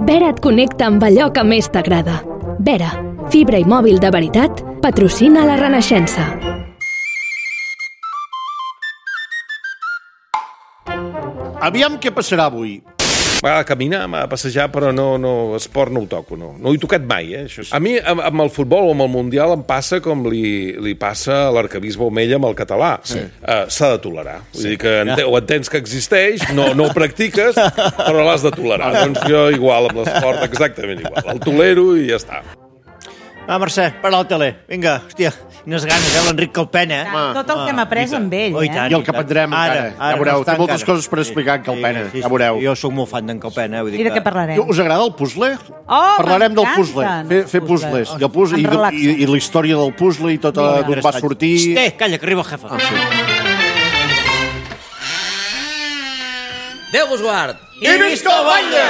Vera et connecta amb allò que més t'agrada. Vera, fibra i mòbil de veritat, patrocina la Renaixença. Aviam què passarà avui. Va a caminar, va a passejar, però no, esport no ho toco, no. No ho he tocat mai, això sí. A mi, amb el futbol o amb el Mundial, em passa com li passa a l'arquebisbe Omella amb el català. Sí. S'ha de tolerar. Vull dir que ho entens que existeix, no ho practiques, però l'has de tolerar. Doncs jo igual amb l'esport, exactament igual. El tolero i ja està. Va, Mercè, para el tele. Vinga, hòstia, quines ganes, l'Enric Calpena. Tot el que hem après amb ell, I el que aprendrem encara. Ja veureu, té moltes coses per explicar en Calpena. Ja veureu. Jo sóc molt fan d'en Calpena. I de què parlarem? Us agrada el puzzle? Parlarem del puzzle. Fer puzzles. I la història del puzzle i tot d'on va sortir... Calla, que arriba el jefe. Déu vos guard! I visca el batlle!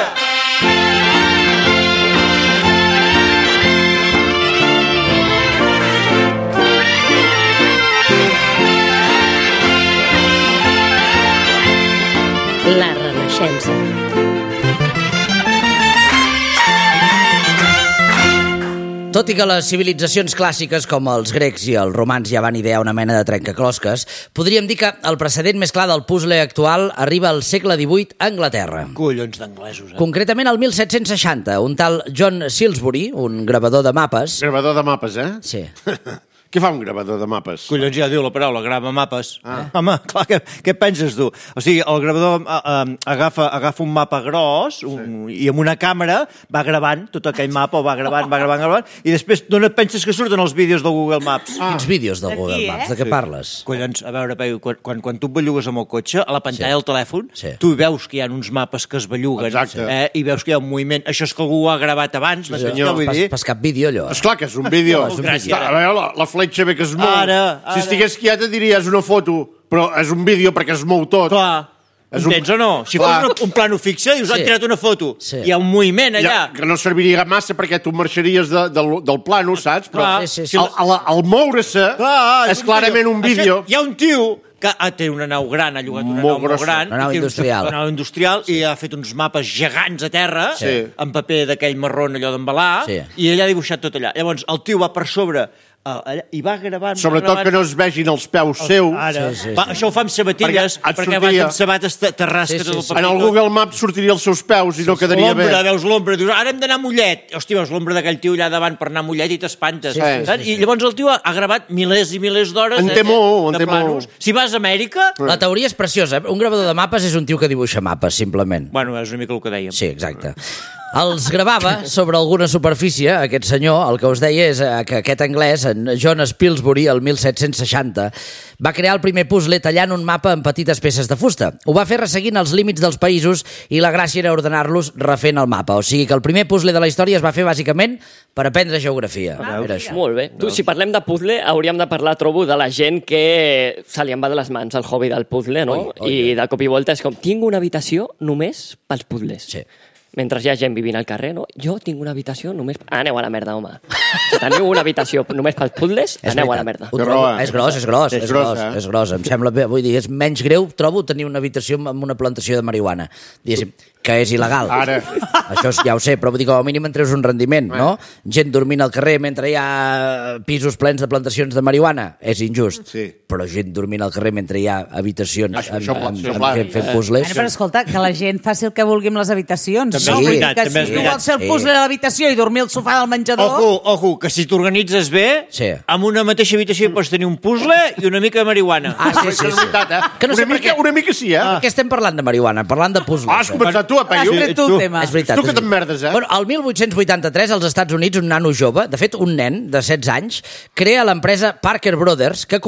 La Renaixença. Tot i que les civilitzacions clàssiques com els grecs i els romans ja van idear una mena de trencaclosques, podríem dir que el precedent més clar del puzzle actual arriba al segle XVIII a Anglaterra. Collons d'anglesos, Concretament al 1760, un tal John Silsbury, un gravador de mapes... Gravador de mapes, Sí. Què fa un gravador de mapes? Collons, ja diu la paraula, grava mapes. Home, clar, què penses tu? O sigui, el gravador agafa un mapa gros i amb una càmera va gravant tot aquell mapa, o va gravant, i després d'on et penses que surten els vídeos del Google Maps? Quins vídeos del Google Maps? De què parles? Collons, a veure, quan tu et bellugues amb el cotxe, a la pantalla del telèfon, tu veus que hi ha uns mapes que es belluguen, i veus que hi ha un moviment. Això és que algú ho ha gravat abans, Pas cap vídeo, allò. Esclar que és un vídeo. A veure, la fletxa bé que es mou. Si estigués quieta diries una foto, però és un vídeo perquè es mou tot. Clar. Entens o no? Si fos un plano fixe, dius, han tirat una foto. Hi ha un moviment allà. Que no serviria massa perquè tu marxaries del plano, saps? Però al moure-se és clarament un vídeo. Hi ha un tio que té una nau gran, ha llogat una nau molt gran. Una nau industrial. Una nau industrial i ha fet uns mapes gegants a terra, en paper d'aquell marrón allò d'embalar, i ell ha dibuixat tot allà. Llavors, el tio va per sobre i va gravant... Sobretot que no es vegin els peus seus. Això ho fa amb sabatilles, perquè vas amb sabates terrasca tot el paper. En el Google Maps sortiria els seus peus i no quedaria bé. Veus l'ombra, dius, ara hem d'anar a Mollet. Hòstia, veus l'ombra d'aquell tio allà davant per anar a Mollet i t'espantes. I llavors el tio ha gravat milers i milers d'hores de planos. Si vas a Amèrica... La teoria és preciosa. Un gravador de mapes és un tio que dibuixa mapes, simplement. Bueno, és una mica el que dèiem. Sí, exacte. Els gravava sobre alguna superfície, aquest senyor. El que us deia és que aquest anglès, en John Spilsbury, el 1760, va crear el primer puzzle tallant un mapa en petites peces de fusta. Ho va fer resseguint els límits dels països i la gràcia era ordenar-los refent el mapa. O sigui que el primer puzzle de la història es va fer bàsicament per aprendre geografia. Era això. Molt bé. Tu, si parlem de puzzle, hauríem de parlar, trobo, de la gent que se li en va de les mans el hobby del puzzle, no? I de cop i volta és com, tinc una habitació només pels puzzles. Sí. Mentre hi ha gent vivint al carrer, no? Jo tinc una habitació només... Aneu a la merda, home. Si teniu una habitació només pels puzzles, aneu a la merda. És gros. Em sembla bé. Vull dir, és menys greu, trobo, tenir una habitació amb una plantació de marihuana. Diguéssim, que és il·legal. Ara. Això ja ho sé, però vull dir, com a mínim en treus un rendiment, no? Gent dormint al carrer mentre hi ha pisos plens de plantacions de marihuana. És injust. Sí. Però gent dormint al carrer mentre hi ha habitacions fent puzzles... Però escolta, que la gent faci el que vulgui amb les habitacions. També és veritat, que si tu vols fer el puzzle a l'habitació i dormir al sofà del menjador... Ojo, que si t'organitzes bé, amb una mateixa habitació pots tenir un puzzle i una mica de marihuana. És veritat, una mica sí, eh? Per què estem parlant de marihuana? Parlant de puzzles. Has començat tu, Peyu. Has tret tu el tema. És veritat. Tu que t'emmerdes, eh? Bueno, el 1883, als Estats Units, un nano jove, de fet, un nen de 16 anys, crea l'empresa Parker Brothers, que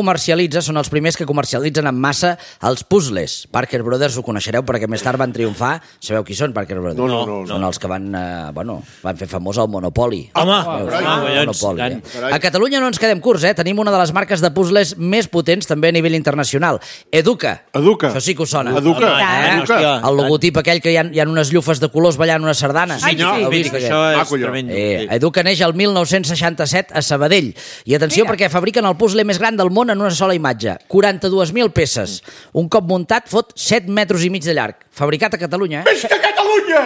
són els primers que comercialitzen en massa els puzzles. Parker Brothers ho coneixereu perquè més tard van triomfar. Sabeu qui són, Parker Brothers? No. Són els que van fer famós el Monopoli. Home, a Catalunya no ens quedem curts, Tenim una de les marques de puzzles més potents també a nivell internacional. Educa. Això sí que us sona. Educa. El logotip aquell que hi ha unes llufes de colors ballant una sardana. Això és tremendo. Educa neix el 1967 a Sabadell. I atenció, perquè fabriquen el puzzle més gran del món en una sola imatge. 42.000 peces. Un cop muntat fot 7 metres i mig de llarg. Fabricat a Catalunya, Visca Catalunya!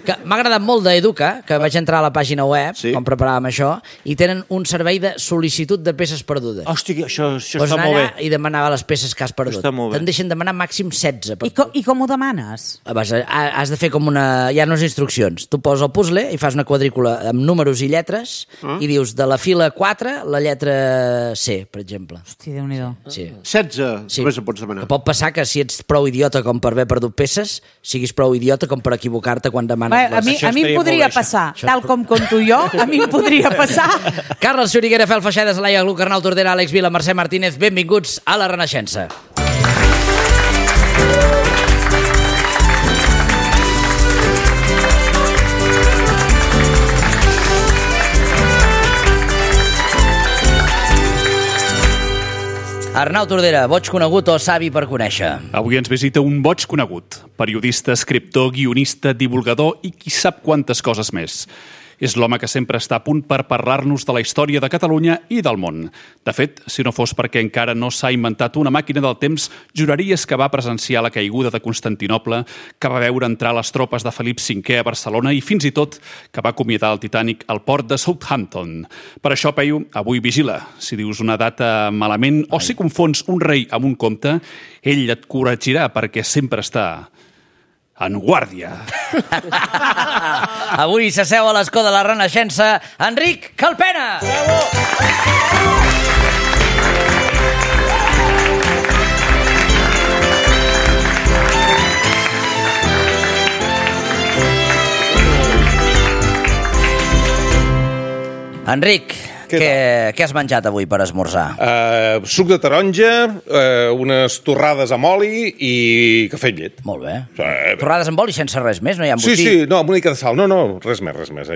M'ha agradat molt d'Educa, que vaig entrar a la pàgina web, com preparàvem això, i tenen un servei de sol·licitud de peces perdudes. Hòstia, això està Pots anar molt bé. allà i demanar les peces que has perdut. Està molt bé. Te'n deixen demanar màxim 16. I com ho demanes? Has de fer com hi ha unes instruccions. Tu poses el puzzle i fas una quadrícula amb números i lletres i dius de la fila 4 la lletra C, per exemple. Hosti, Déu-n'hi-do. Sí. 16, només en pots demanar. Que pot passar que si ets prou idiota com per haver perdut peces, siguis prou idiota com per equivocar-te quan demanes A mi em podria passar, tal com conto jo, a mi em podria passar. Carles Xuriguera, Fel Feixedes, Laia Gluc, Arnau Tordera, Àlex Vila, Mercè Martínez, benvinguts a La Renaixença. Arnau Tordera, boig conegut o savi per conèixer? Avui ens visita un boig conegut, periodista, escriptor, guionista, divulgador i qui sap quantes coses més. És l'home que sempre està a punt per parlar-nos de la història de Catalunya i del món. De fet, si no fos perquè encara no s'ha inventat una màquina del temps, juraries que va presenciar la caiguda de Constantinoble, que va veure entrar les tropes de Felip V a Barcelona i fins i tot que va acomiadar el Titanic al port de Southampton. Per això, Peyu, avui vigila. Si dius una data malament o si confons un rei amb un comte, ell et corregirà perquè sempre està en guàrdia. Avui s'asseu a l'escó de la Renaixença Enric Calpena. Bravo! Enric, què has menjat avui per esmorzar? Suc de taronja, unes torrades amb oli i cafè amb llet. Molt bé. Torrades amb oli sense res més? No hi ha embotí? Sí, no, amb una mica de sal. No, res més.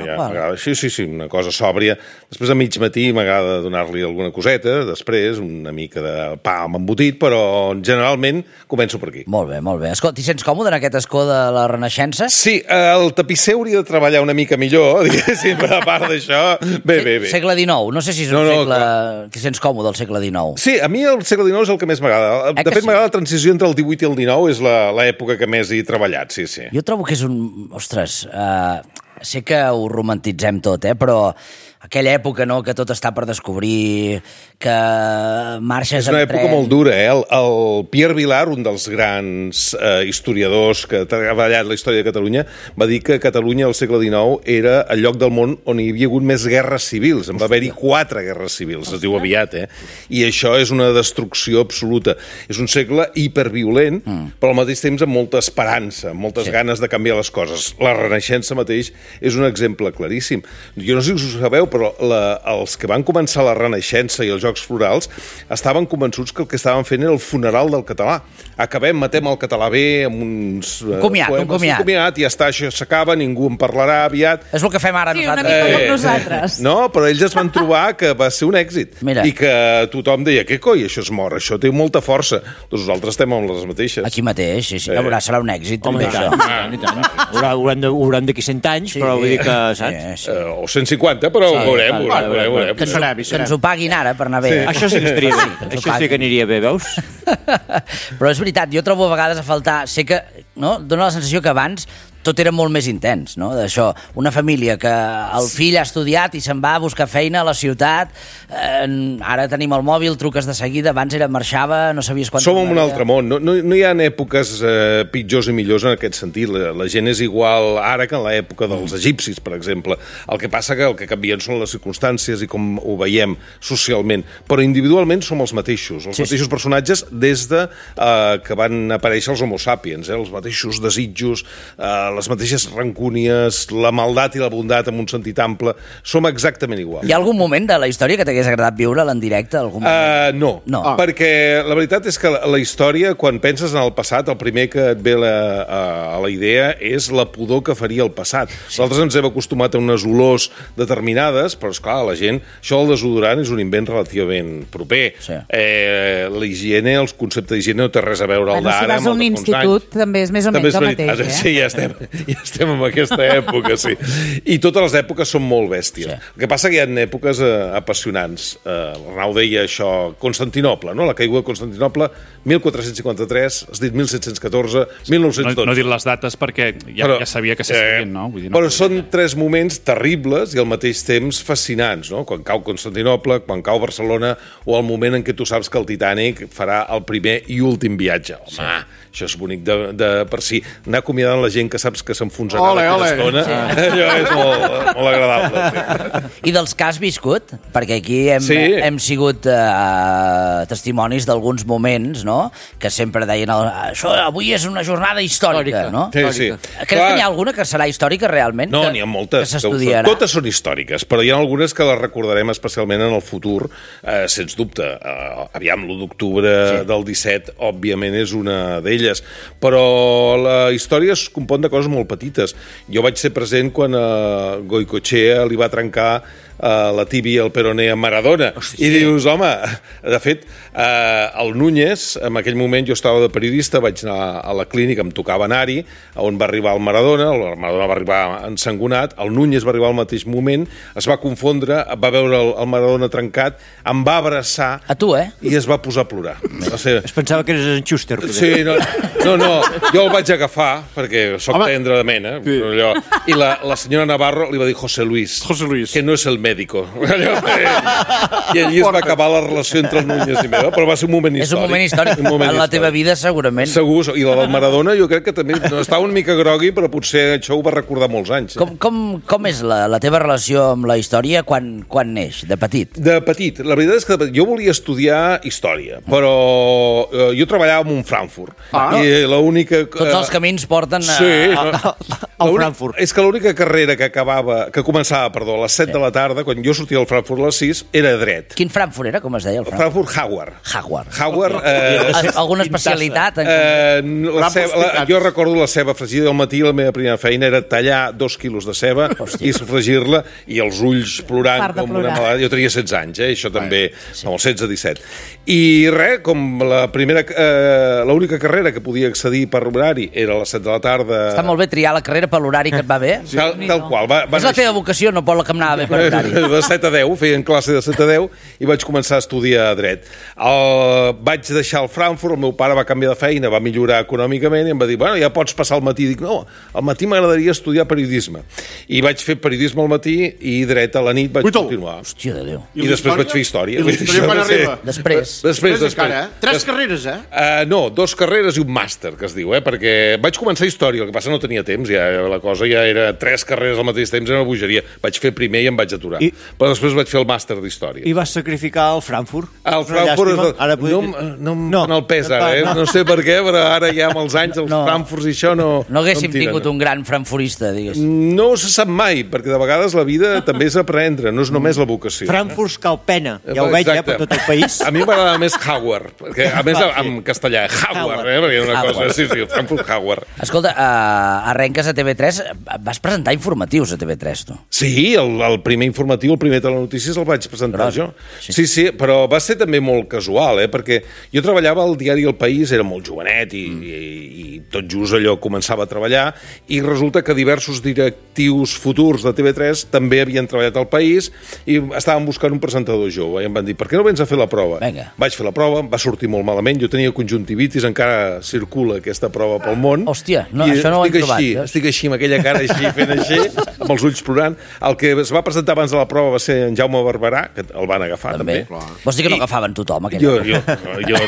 Sí, una cosa sòbria. Després a mig matí m'agrada donar-li alguna coseta, després una mica de pa amb embotit, però generalment començo per aquí. Molt bé. Escolta, t'hi sents còmode en aquest escó de la Renaixença? Sí, el tapisser hauria de treballar una mica millor, diguéssim, a part d'això. Bé. Segle XIX. No sé si és un segle... T'hi sents còmode al segle XIX. Sí, a mi el segle XIX és el que més m'agrada. De fet, m'agrada la transició entre el XVIII i el XIX, és l'època que més he treballat, sí. Jo trobo que és un... Ostres, sé que ho romantitzem tot, però aquella època, no?, que tot està per descobrir, que marxes... És una època molt dura, El Pierre Vilar, un dels grans historiadors que ha treballat la història de Catalunya, va dir que Catalunya al segle XIX era el lloc del món on hi havia hagut més guerres civils. En va haver-hi 4 guerres civils, es diu aviat, I això és una destrucció absoluta. És un segle hiperviolent, però al mateix temps amb molta esperança, amb moltes ganes de canviar les coses. La Renaixença mateix és un exemple claríssim. Jo no sé si ho sabeu, però els que van començar la Renaixença i els Jocs Florals estaven convençuts que el que estaven fent era el funeral del català. Matem el català bé amb uns... Un comiat. I ja està, això s'acaba, ningú en parlarà aviat. És el que fem ara nosaltres. Sí, una mica com nosaltres. No, però ells es van trobar que va ser un èxit. Mira. I que tothom deia, què coi, això es mor, això té molta força. Doncs nosaltres estem amb les mateixes. Aquí mateix, sí. Serà un èxit, també, això. Hauran d'aquí 100 anys, però vull dir que, saps? O 150, però veurem. Que ens ho paguin ara per anar bé. Això sí que estaria bé. Això sí que aniria bé, veus? Però és veritat, jo trobo a vegades a faltar... Sé que dona la sensació que abans tot era molt més intens, no? D'això, una família que el fill ha estudiat i se'n va a buscar feina a la ciutat, ara tenim el mòbil, truques de seguida, abans marxava, no sabies quan... Som en un altre món, no hi ha èpoques pitjors i millors en aquest sentit, la gent és igual ara que en l'època dels egipcis, per exemple. El que passa que el que canvien són les circumstàncies i com ho veiem socialment, però individualment som els mateixos personatges des de que van aparèixer els homo sapiens, els mateixos desitjos, les mateixes rancúnies, la maldat i la bondat en un sentit ample, som exactament iguals. Hi ha algun moment de la història que t'hagués agradat viure-la en directe? No, perquè la veritat és que la història, quan penses en el passat, el primer que et ve a la idea és la pudor que faria el passat. Nosaltres ens hem acostumat a unes olors determinades, però esclar, la gent, això del desodorant és un invent relativament proper. La higiene, el concepte d'higiene no té res a veure al d'ara. Si vas a un institut, també és més o menys el mateix. Sí, ja estem Ja estem en aquesta època, sí. I totes les èpoques són molt bèsties. Sí. El que passa que hi ha èpoques apassionants. L'Arnau deia això, Constantinoble, no? La caiguda de Constantinople, 1453, has dit 1714, 1912. No he dit les dates perquè ja sabia que s'escrivien, no? Vull dir, però són 3 moments terribles i al mateix temps fascinants, no? Quan cau Constantinople, quan cau Barcelona, o el moment en què tu saps que el Titanic farà el primer i últim viatge. Home, això és bonic de per si. Anar acomiadant la gent que saps que s'enfonsarà d'aquesta estona, allò és molt agradable. I dels que has viscut, perquè aquí hem sigut testimonis d'alguns moments, no?, que sempre deien això avui és una jornada històrica, no? Sí. Creus que n'hi ha alguna que serà històrica realment? No, n'hi ha moltes. Que s'estudiarà? Totes són històriques, però hi ha algunes que les recordarem especialment en el futur, sens dubte. Aviam, l'1 d'octubre del 17, òbviament, és una d'elles, però la història es compon de coses molt petites. Jo vaig ser present quan Goicoechea li va trencar la tíbia, el peroné a Maradona. Hòstia. I dius, home, de fet, el Núñez, en aquell moment jo estava de periodista, vaig anar a la clínica, em tocava anar-hi, on va arribar el Maradona va arribar ensangonat, el Núñez va arribar al mateix moment, es va confondre, va veure el Maradona trencat, em va abraçar... A tu, I es va posar a plorar. Es pensava que eres en Schuster. Sí, no, jo el vaig agafar, perquè sóc tendre de mena, i la senyora Navarro li va dir José Luis, que no és el médico. I allí es va acabar la relació entre el Núñez i meva, però va ser un moment històric. És un moment històric. En la teva vida, segurament. Segur, i la del Maradona jo crec que també estava una mica grogui, però potser això ho va recordar molts anys. Com és la teva relació amb la història quan neix, de petit? De petit. La veritat és que jo volia estudiar història, però jo treballava en un Frankfurt. I l'única... Tots els camins porten al Frankfurt. És que l'única carrera que començava a les 7 de la tarda, quan jo sortia del Frankfurt a les 6, era dret. Quin Frankfurt era, com es deia? El Frankfurt Hauer. Alguna especialitat? Jo recordo la ceba fregida al matí, la meva primera feina era tallar 2 quilos de ceba i sofregir-la, i els ulls plorant com una malada. Jo tenia 16 anys, això també, els 16-17. I res, com l'única carrera que podia accedir per horari era a les 7 de la tarda... Està molt bé triar la carrera per l'horari que et va bé. Tal qual. És la teva vocació, no pot la que em anava bé per horari. De 7 a 10, feien classe de 7 a 10 i vaig començar a estudiar dret. Vaig deixar el Frankfurt, el meu pare va canviar de feina, va millorar econòmicament i em va dir, bueno, ja pots passar al matí. Dic, no, al matí m'agradaria estudiar periodisme. I vaig fer periodisme al matí i dret a la nit vaig continuar. Hòstia de Déu. I després vaig fer història. I l'història quan arriba? Després encara, 3 carreres, No, 2 carreres i un màster, que es diu, perquè vaig començar història, el que passa no tenia temps, ja la cosa ja era 3 carreres al mateix temps, era una bogeria. Vaig fer primer i em vaig aturar. Però després vaig fer el màster d'història. I vas sacrificar el Frankfurt? El Frankfurt... No en el pes, ara, no sé per què, però ara ja amb els anys, els Frankfurts i això no... No haguéssim tingut un gran frankfurista, digues. No se sap mai, perquè de vegades la vida també és aprendre, no és només la vocació. Frankfurt cal pena, ja ho veig, per tot el país. A mi m'agrada més Hauer, perquè a més en castellà, Hauer, perquè és una cosa... Sí, Frankfurt Hauer. Escolta, arrenques a TV3, vas presentar informatius a TV3, tu? Sí, el primer informatiu, el primer telenotícies el vaig presentar jo. Sí, però va ser també molt casual, perquè jo treballava al diari El País, era molt jovenet i tot just allò començava a treballar, i resulta que diversos directius futurs de TV3 també havien treballat al País i estaven buscant un presentador jove, i em van dir, per què no vens a fer la prova? Vaig fer la prova, va sortir molt malament, jo tenia conjuntivitis, encara circula aquesta prova pel món. Hòstia, això no ho hem trobat. Estic així, amb aquella cara així, fent així, amb els ulls plorant. El que es va presentar abans de la prova va ser en Jaume Barberà, que el van agafar també. Vols dir que no agafaven tothom? Jo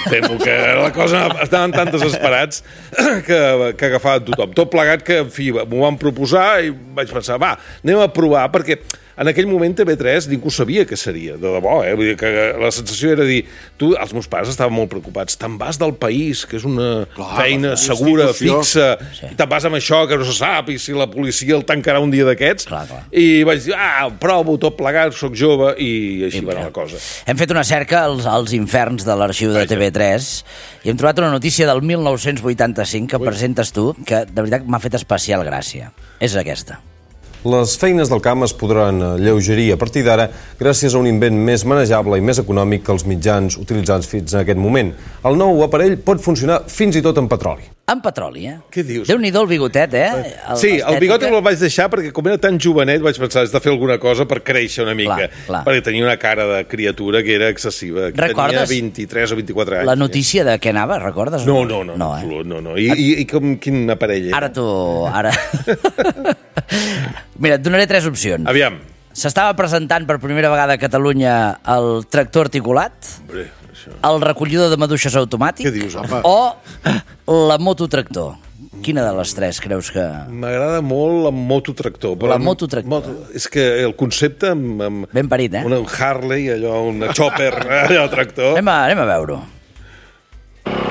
temo que la cosa estaven tan desesperats que agafaven tothom. Tot plegat que, en fi, m'ho van proposar i vaig pensar, va, anem a provar, perquè en aquell moment TV3 ningú sabia què seria, de debò, Vull dir que la sensació era dir, els meus pares estaven molt preocupats, te'n vas del País, que és una feina segura, fixa, i te'n vas amb això que no se sap, i si la policia el tancarà un dia d'aquests, i vaig dir, provo tot plegat, soc jove, i així va anar la cosa. Hem fet una cerca als inferns de l'arxiu de TV3 i hem trobat una notícia del 1985 que presentes tu, que de veritat m'ha fet especial gràcia. És aquesta. Les feines del camp es podran alleugerir a partir d'ara gràcies a un invent més manejable i més econòmic que els mitjans utilitzats fins en aquest moment. El nou aparell pot funcionar fins i tot en petroli. amb petroli, Què dius? Déu-n'hi-do el bigotet, Sí, el bigot el vaig deixar perquè com era tan jovenet vaig pensar, has de fer alguna cosa per créixer una mica. Clar. Perquè tenia una cara de criatura que era excessiva. Recordes? Tenia 23 o 24 anys. La notícia de què anava, recordes? No, absolut, no. I quin aparell era? Ara... Mira, et donaré 3 opcions. Aviam. S'estava presentant per primera vegada a Catalunya el tractor articulat, el recollidor de maduixes automàtic, què dius, home? O la mototractor. Quina de les 3 creus que... M'agrada molt el mototractor. La mototractor. És que el concepte... Ben parit, Un Harley, allò, una chopper, allò, tractor... Anem a veure-ho.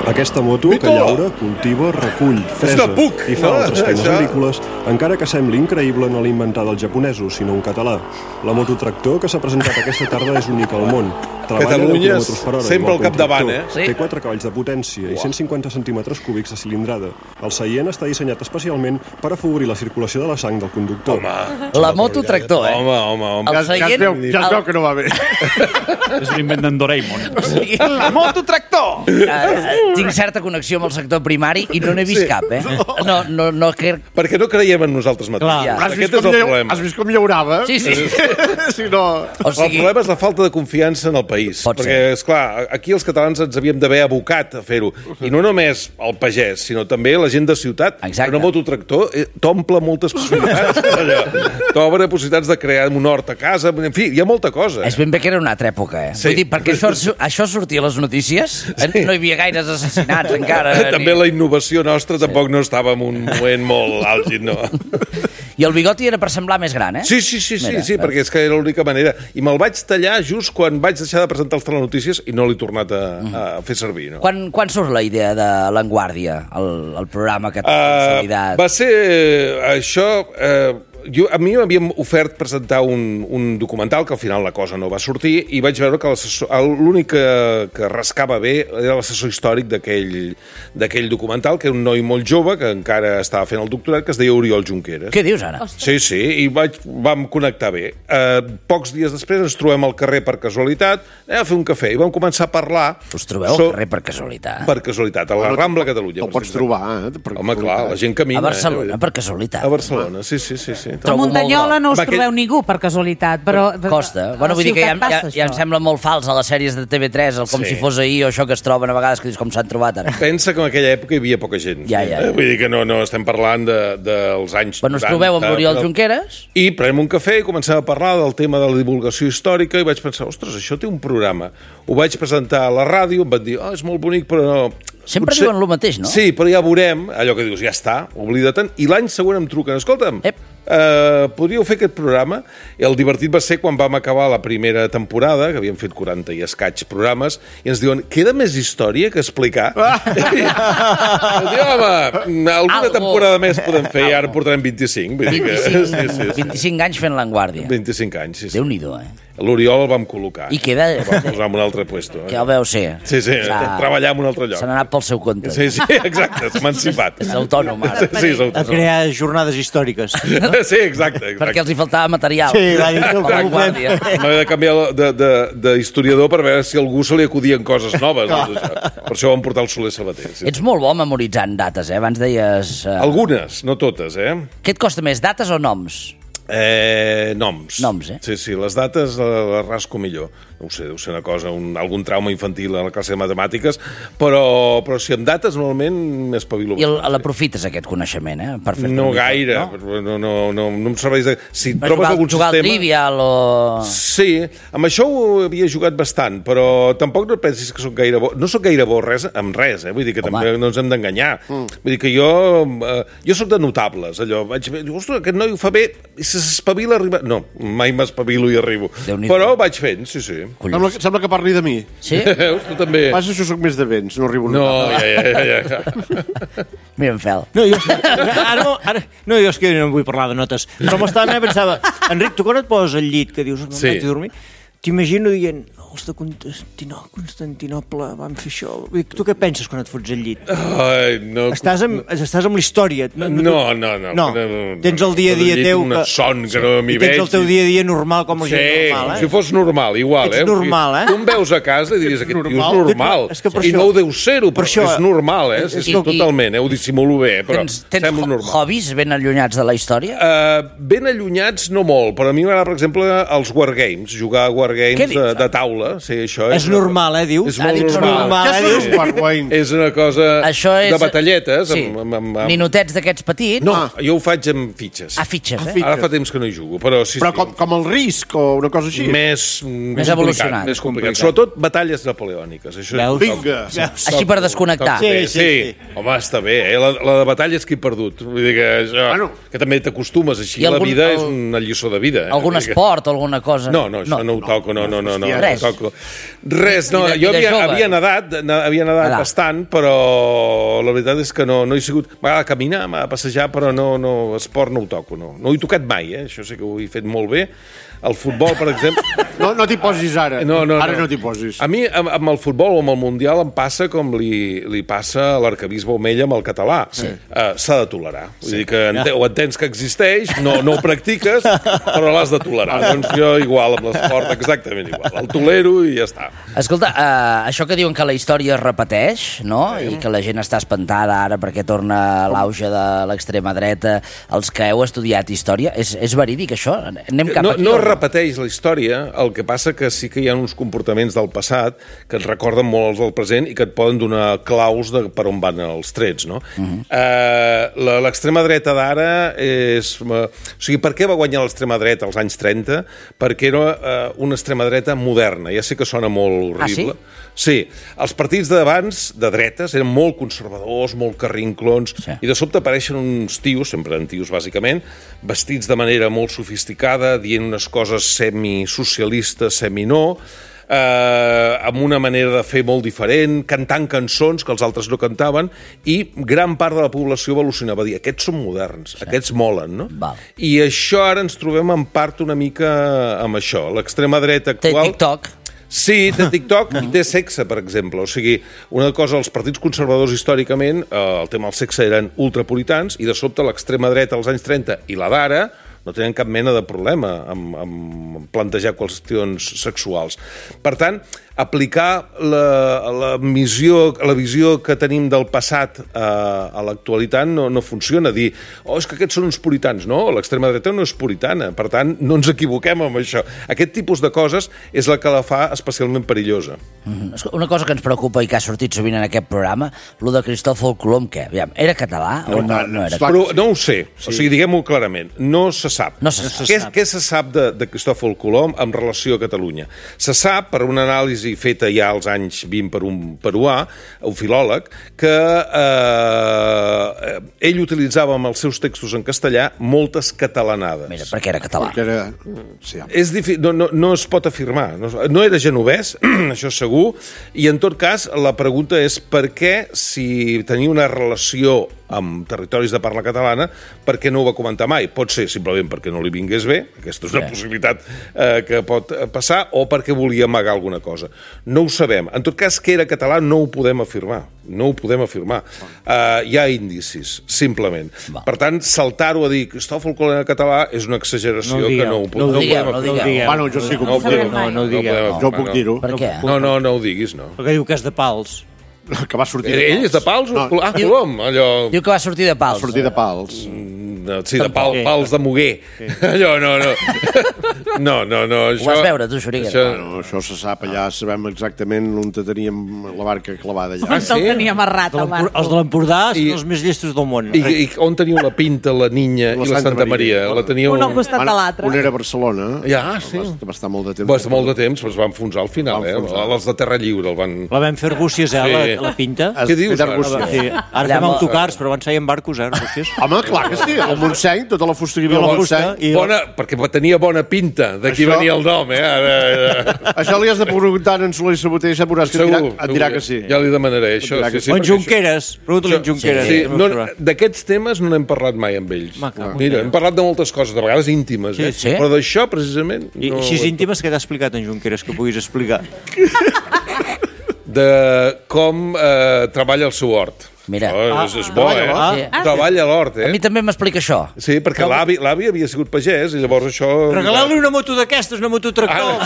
Aquesta moto que llaura, cultiva, recull, fresa i fa altres feines agrícoles, encara que sembli increïble, no l'ha inventat els japonesos, sinó un català. La mototractor que s'ha presentat aquesta tarda és única al món. Catalunya sempre al capdavant, Té 4 cavalls de potència i 150 centímetres cúbics de cilindrada. El seient està dissenyat especialment per afavorir la circulació de la sang del conductor. La mototractor, Home. Ja es veu que no va bé. És un invent d'en Doraemon. La mototractor! Tinc certa connexió amb el sector primari i no n'he vist cap, No, perquè no creiem en nosaltres mateixos. Aquest és el problema. Has vist com llaurava? Sí. Si no... El problema és la falta de confiança en el país. Perquè, esclar, aquí els catalans ens havíem d'haver abocat a fer-ho. I no només el pagès, sinó també la gent de ciutat. Exacte. Un mototractor t'omple moltes possibilitats. T'obre possibilitats de crear un hort a casa. En fi, hi ha molta cosa. És ben bé que era una altra època, Sí. Vull dir, perquè això sortia a les notícies, no hi havia gaires assassinats encara. També la innovació nostra tampoc no estava en un moment molt àlgid, no? I el bigoti era per semblar més gran, Sí, perquè és que era l'única manera. I me'l vaig tallar just quan vaig deixar de presentar els telenotícies i no l'he tornat a fer servir. No? Quan surt la idea de l'Enguàrdia, el programa que té consolidat? Va ser això... A mi m'havien ofert presentar un documental, que al final la cosa no va sortir, i vaig veure que l'únic que rascava bé era l'assessor històric d'aquell documental, que era un noi molt jove, que encara estava fent el doctorat, que es deia Oriol Junqueras. Què dius, ara? Sí, i vam connectar bé. Pocs dies després ens trobem al carrer per casualitat, a fer un cafè, i vam començar a parlar... Us trobeu al carrer per casualitat? Per casualitat, a la Rambla Catalunya. El pots trobar, Home, clar, la gent camina. A Barcelona, per casualitat. A Barcelona, sí. A Muntanyola no us trobeu ningú per casualitat, però... Costa. Bueno, vull dir que ja em sembla molt fals a les sèries de TV3, com si fos ahir o això que es troben a vegades, que dius com s'han trobat ara. Pensa que en aquella època hi havia poca gent. Ja. Vull dir que no estem parlant dels anys 90. Bueno, us trobeu amb l'Oriol Junqueras? I prenem un cafè i comencem a parlar del tema de la divulgació històrica i vaig pensar, ostres, això té un programa. Ho vaig presentar a la ràdio, em van dir, és molt bonic, però no... Sempre diuen el mateix, no? Sí, però ja veurem, allò que dius, ja està, oblida-te'n, i l'any següent em truquen, escolta'm, podríeu fer aquest programa? I el divertit va ser quan vam acabar la primera temporada, que havíem fet 40 i escaig programes, i ens diuen, queda més història que explicar? Diu, home, alguna temporada més podem fer, i ara portarem 25. 25 anys fent l'Enguàrdia. 25 anys, sí. Déu-n'hi-do, L'Oriol el vam col·locar. I queda... El vam posar en un altre puesto. Que el veu ser. Sí, treballar en un altre lloc. Se n'ha anat pel seu compte. Sí, exacte, s'ha emancipat. És autònom, ara. Sí, és autònom. A crear jornades històriques. Sí, exacte. Perquè els hi faltava material. Sí, va dir que l'Enguàrdia. M'havia de canviar d'historiador per veure si a algú se li acudien coses noves. Per això vam portar el Soler Sabater. Ets molt bo memoritzant dates, Abans deies... Algunes, no totes, Què et costa més, dates o noms? Noms. Noms, Sí, les dates les rasco millor. No ho sé, deu ser una cosa, algun trauma infantil a la classe de matemàtiques, però si amb dates normalment m'espavilo. I l'aprofites, aquest coneixement, per fer-te no gaire, no em serveix de... Si trobes algun jugar sistema... al Trivial o... Sí, amb això ho havia jugat bastant, però tampoc no pensis que soc gaire bo. No soc gaire bo amb res, vull dir que també no ens hem d'enganyar. Vull dir que jo soc de notables, allò. Vaig dir, ostres, aquest noi ho fa bé, i s'espavila arriba... No, mai m'espavilo i arribo. Però vaig fent, sí. Sembla que parli de mi. Sí? Tu també. Passa, jo soc més de vents, no arribo. No, ja. Mira, en Fel. Jo és que no vull parlar de notes, però m'estava pensava, Enric, tu quan et poses al llit, que dius, no vaig a dormir, t'imagino dient, els de Constantinople van fer això. Tu què penses quan et fots al llit? No. Estàs amb la història. No. Tens el dia a dia teu... Una son que no m'hi veig. Tens el teu dia a dia normal com la gent normal, si fos normal, igual, Ets normal, Tu em veus a casa i diries, aquest tio és normal. I no ho deu ser-ho, però és normal, totalment, ho dissimulo bé, però sembla normal. Tens hobbies ben allunyats de la història? Ben allunyats no molt, però a mi m'agrada, per exemple, els wargames, jugar a wargames de taula. Sí, això és normal, dius? És molt normal. És una cosa de batalletes. Ninotets d'aquests petits? No, jo ho faig amb fitxes. Fitxes, Ara fa temps que no hi jugo, però sí. Però com el risc o una cosa així? Més evolucionat. Més complicat. Sobretot batalles napoleòniques. Vinga. Així per desconnectar. Sí. Home, està bé. La de batalles que he perdut. Vull dir que també t'acostumes així. La vida és una lliçó de vida. Algun esport o alguna cosa? No, això no ho toco. No. Res, no. Jo havia nedat bastant, però la veritat és que no he sigut... M'agrada caminar, m'agrada passejar, però no, esport no ho toco, no. No ho he tocat mai, això sí que ho he fet molt bé. El futbol, per exemple... No t'hi posis ara. Ara no t'hi posis. A mi, amb el futbol o amb el Mundial, em passa com li passa a l'arquebisbe Omella amb el català. S'ha de tolerar. Vull dir que ho entens que existeix, no ho practiques, però l'has de tolerar. Doncs jo igual, amb l'esport, exactament igual. El tolero i ja està. Escolta, això que diuen que la història es repeteix, no? I que la gent està espantada ara perquè torna l'auge de l'extrema dreta. Els que heu estudiat història, és verídic, això? Anem cap aquí? No repeteix la història, el que passa que sí que hi ha uns comportaments del passat que et recorden molt els del present i que et poden donar claus de per on van els trets, no? L'extrema dreta d'ara és... O sigui, per què va guanyar l'extrema dreta als anys 30? Perquè era una extrema dreta moderna. Ja sé que sona molt horrible. Sí, els partits d'abans, de dretes, eren molt conservadors, molt carrinclons, i de sobte apareixen uns tios, sempre en tios bàsicament, vestits de manera molt sofisticada, dient unes coses semi-socialistes, semi-no, amb una manera de fer molt diferent, cantant cançons que els altres no cantaven, i gran part de la població va al·lucinar, va dir, aquests són moderns, aquests molen, no? I això ara ens trobem en part una mica amb això. L'extrema dreta actual... Té TikTok. Sí, té TikTok i té sexe, per exemple. O sigui, una cosa, els partits conservadors històricament, el tema del sexe eren ultrapuritans, i de sobte l'extrema dreta als anys 30 i la d'ara no tenen cap mena de problema amb plantejar qüestions sexuals. Per tant, aplicar la visió que tenim del passat a l'actualitat no funciona. Dir, és que aquests són uns puritans. No, l'extrema dreta no és puritana. Per tant, no ens equivoquem amb això. Aquest tipus de coses és la que la fa especialment perillosa. Una cosa que ens preocupa i que ha sortit sovint en aquest programa, lo de Cristòfol Colom, què? Era català o no era? Però no ho sé. O sigui, diguem-ho clarament. No se sap. Què se sap de Cristòfol Colom en relació a Catalunya? Se sap, per una anàlisi feta ja als anys 20 per un peruà, un filòleg, que ell utilitzava amb els seus textos en castellà moltes catalanades. Mira, perquè era català. És difícil, no es pot afirmar. No era genovès, això segur, i en tot cas la pregunta és per què, si tenia una relació amb territoris de parla catalana, per què no ho va comentar mai? Pot ser simplement perquè no li vingués bé, aquesta és una possibilitat que pot passar, o perquè volia amagar alguna cosa. No ho sabem. En tot cas, que era català no ho podem afirmar. No ho podem afirmar. Hi ha indicis, simplement. Per tant, saltar-ho a dir Cristòfol Colom era català és una exageració que no ho podem afirmar. No ho digueu. Bueno, jo sí que ho puc dir. No ho digueu. Jo puc dir-ho. Per què? No ho diguis, no. Perquè diu que és de Pals. Que va sortir de Pals. Ell és de Pals? Colom, allò... Diu que va sortir de Pals. Va sortir de Pals. Sí, de Pals de Muguer. Allò, no. No. Ho vas veure, tu, Xuriguera? Això se sap, allà sabem exactament on teníem la barca clavada allà. On te'l tenia amarrat, el barco. Els de l'Empordà són els més llestos del món. I on teniu la Pinta, la Niña i la Santa Maria? La teníeu... Un al costat de l'altre. Un era a Barcelona. Ja, sí. Va estar molt de temps. Va estar molt de temps, però es va enfonsar al final, Els de Terra Lliure el van... La vam fer Arbúcies, la Pinta. Què dius? Ara fem autocars, però abans feien barcos, Arbúcies. Home, clar que sí. El Montseny, tota la fusta que hi havia al Montseny. Perquè tenia bona pinta d'aquí venia el nom, Això li has de preguntar a en Soler Sabater, ja veuràs que et dirà que sí. Ja li demanaré això. O en Junqueras, pregunta-li en Junqueras. D'aquests temes no n'hem parlat mai amb ells. Mira, hem parlat de moltes coses, de vegades íntimes, però d'això, precisament... I així íntimes que t'ha explicat en Junqueras, que puguis explicar? De com treballa el seu hort. Mira. És bo, Treballa a l'hort, A mi també m'explica això. Sí, perquè l'avi havia sigut pagès i llavors això... Regalar-li una moto d'aquestes, una moto tractor.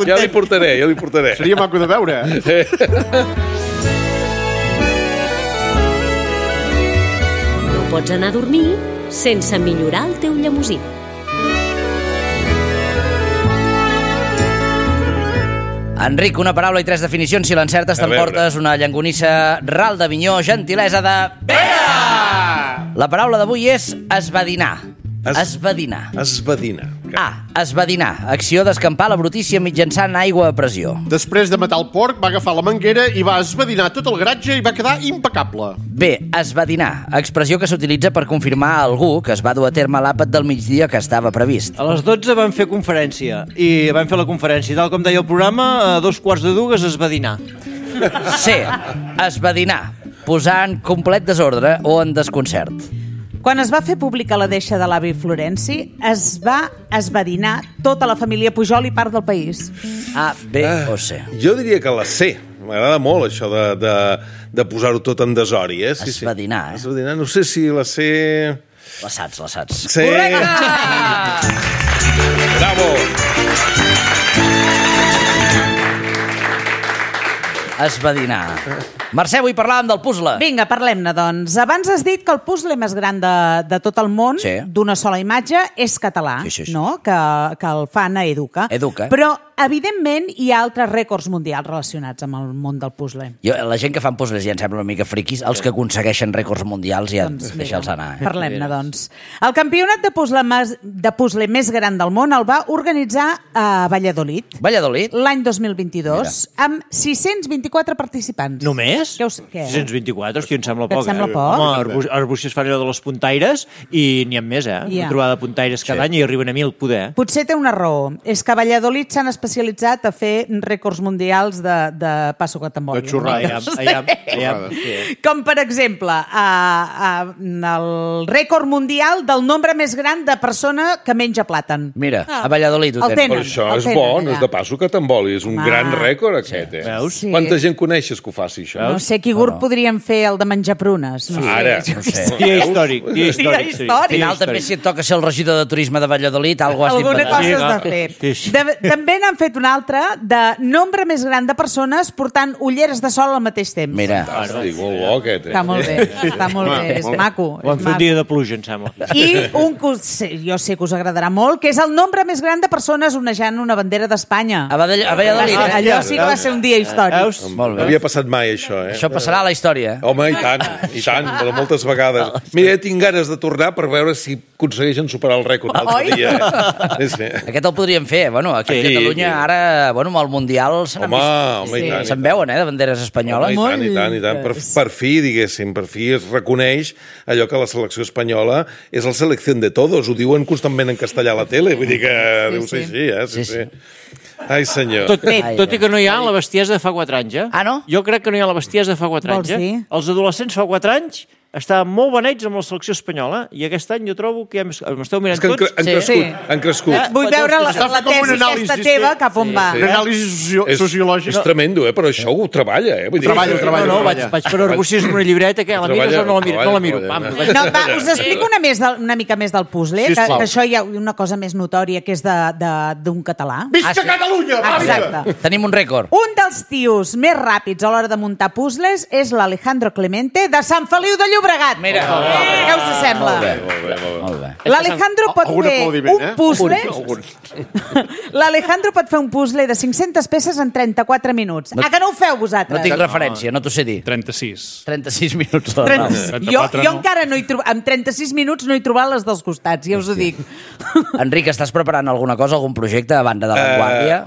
Ja li portaré. Seria maco de veure, No pots anar a dormir sense millorar el teu llemosí. Enric, una paraula i 3 definicions. Si l'encertes, t'emportes una llangonissa ral d'Avinyó, gentilesa de... Pere! La paraula d'avui és esbadinar. Esbadinar. A. Esbadinar. Acció d'escampar la brutícia mitjançant aigua a pressió. Després de matar el porc, va agafar la manguera i va esbadinar tot el garatge i va quedar impecable. B. Esbadinar. Expressió que s'utilitza per confirmar a algú que es va dur a terme l'àpat del migdia que estava previst. A les 12 vam fer conferència. I vam fer la conferència. Tal com deia el programa, a 2:15 esbadinar. C. Esbadinar. Posar en complet desordre o en desconcert. Quan es va fer pública la deixa de l'avi Florenci, es va esbadinar tota la família Pujol i part del país. A, B o C. Jo diria que la C. M'agrada molt això de posar-ho tot en desori, Sí, esbadinar, Esbadinar. No sé si la C... La saps. Sí. Correcte! Bravo! Esbadinar. Mercè, avui parlàvem del puzzle. Vinga, parlem-ne, doncs. Abans has dit que el puzzle més gran de tot el món, d'una sola imatge, és català, no? Que el fan a Educa. Però, evidentment, hi ha altres rècords mundials relacionats amb el món del puzzle. La gent que fan puzzles ja em sembla una mica friquis. Els que aconsegueixen rècords mundials ja deixa'ls anar. Parlem-ne, doncs. El campionat de puzzle més gran del món el va organitzar a Valladolid. L'any 2022, amb 624 participants. Només? Què? 624, hòstia, em sembla poc. Et sembla poc? Home, els Buixes fan allò de les puntaires i n'hi ha més, Una trobada de puntaires cada any i arriben a 1.000, poder. Potser té una raó. És que a Valladolid s'han especialitzat a fer rècords mundials de passo catamboli. De xurrar, Com, per exemple, el rècord mundial del nombre més gran de persona que menja plàtan. Mira, a Valladolid ho tenen. Però això és bo, no és de passo catamboli. És un gran rècord, aquest. Veus? Quanta gent coneixes que ho faci, això? No sé, qui podríem fer el de menjar prunes. Ara. No sé. Dia històric. Al final també si et toca ser el regidor de turisme de Valladolid, alguna cosa has de fer. També n'han fet una altra de nombre més gran de persones portant ulleres de sol al mateix temps. Mira. Fantàstic, molt bo aquest. Està molt bé, és maco. Ho han fet un dia de pluja, em sembla. I un que jo sé que us agradarà molt, que és el nombre més gran de persones onejant una bandera d'Espanya. A Valladolid, Allò sí que va ser un dia històric. No havia passat mai, això, Això passarà a la història. Home, i tant, però moltes vegades. Mira, tinc ganes de tornar per veure si aconsegueixen superar el rècord l'altre dia. Aquest el podríem fer, aquí a Catalunya ara, amb el Mundial se'n veuen, de banderes espanyoles. I tant. Per fi, diguéssim, es reconeix allò que la selecció espanyola és la selecció de todos, ho diuen constantment en castellà a la tele, vull dir que deu ser així, sí. Ai, senyor. Tot i que no hi ha la bestiesa de fa 4 anys, Ah, no? Jo crec que no hi ha la bestiesa de fa 4 anys, Els adolescents fa 4 anys estaven molt beneits amb la selecció espanyola i aquest any jo trobo que m'esteu mirant tots. Han crescut. Vull veure la tesi aquesta teva cap on va. Una anàlisi sociològica. És tremendo, però això ho treballa, Treballa. No, vaig per Arbúcies amb una llibreta, que la mires o no la miro? Us explico una mica més del puzzle, que això hi ha una cosa més notòria, que és d'un català. Visca Catalunya! Exacte. Tenim un rècord. Un dels tios més ràpids a l'hora de muntar puzzles és l'Alejandro Clemente de Sant Feliu de Llobregat. Mira. Què us sembla? Molt bé. L'Alejandro pot fer un puzzle... L'Alejandro pot fer un puzzle de 500 peces en 34 minuts. A que no ho feu vosaltres? No tinc referència, no t'ho sé dir. 36 minuts. Jo encara no hi trobo... En 36 minuts no he trobat les dels costats, ja us ho dic. Enric, estàs preparant alguna cosa, algun projecte a banda de La Vanguardia?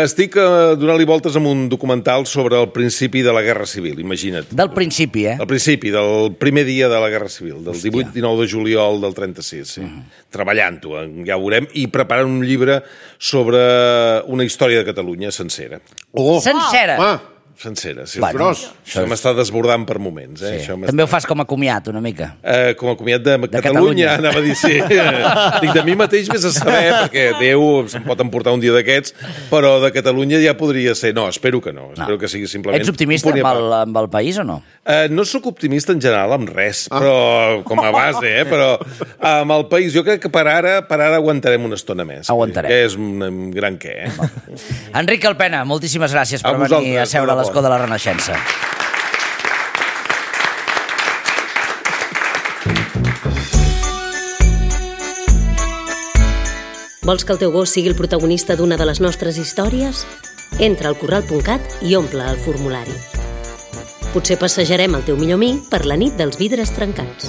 Estic donant-li voltes amb un documental sobre el principi de la Guerra Civil, imagina't. Del principi, El principi, del primer dia de la Guerra Civil, del 18-19 de juliol del 36, sí. Treballant-ho, ja ho veurem, i preparant un llibre sobre una història de Catalunya sencera. Sencera? Sencera, sí. Bueno, això m'està desbordant per moments. Sí. També ho fas com a comiat, una mica. Com a comiat de Catalunya, anava a dir, sí. Dic, de mi mateix vés a saber, perquè Déu se'm pot emportar un dia d'aquests, però de Catalunya ja podria ser. No, espero que no. Espero que sigui simplement... Ets optimista amb el país o no? No sóc optimista en general amb res, però com a base, però amb el país jo crec que per ara aguantarem una estona més. Aguantarem. Que és un gran què, Enric Alpena, moltíssimes gràcies per venir a seure a l'escó de la Renaixença. Vols que el teu gos sigui el protagonista d'una de les nostres històries? Entra al corral.cat i omple el formulari. Potser passejarem el teu millor amic per la nit dels vidres trencats.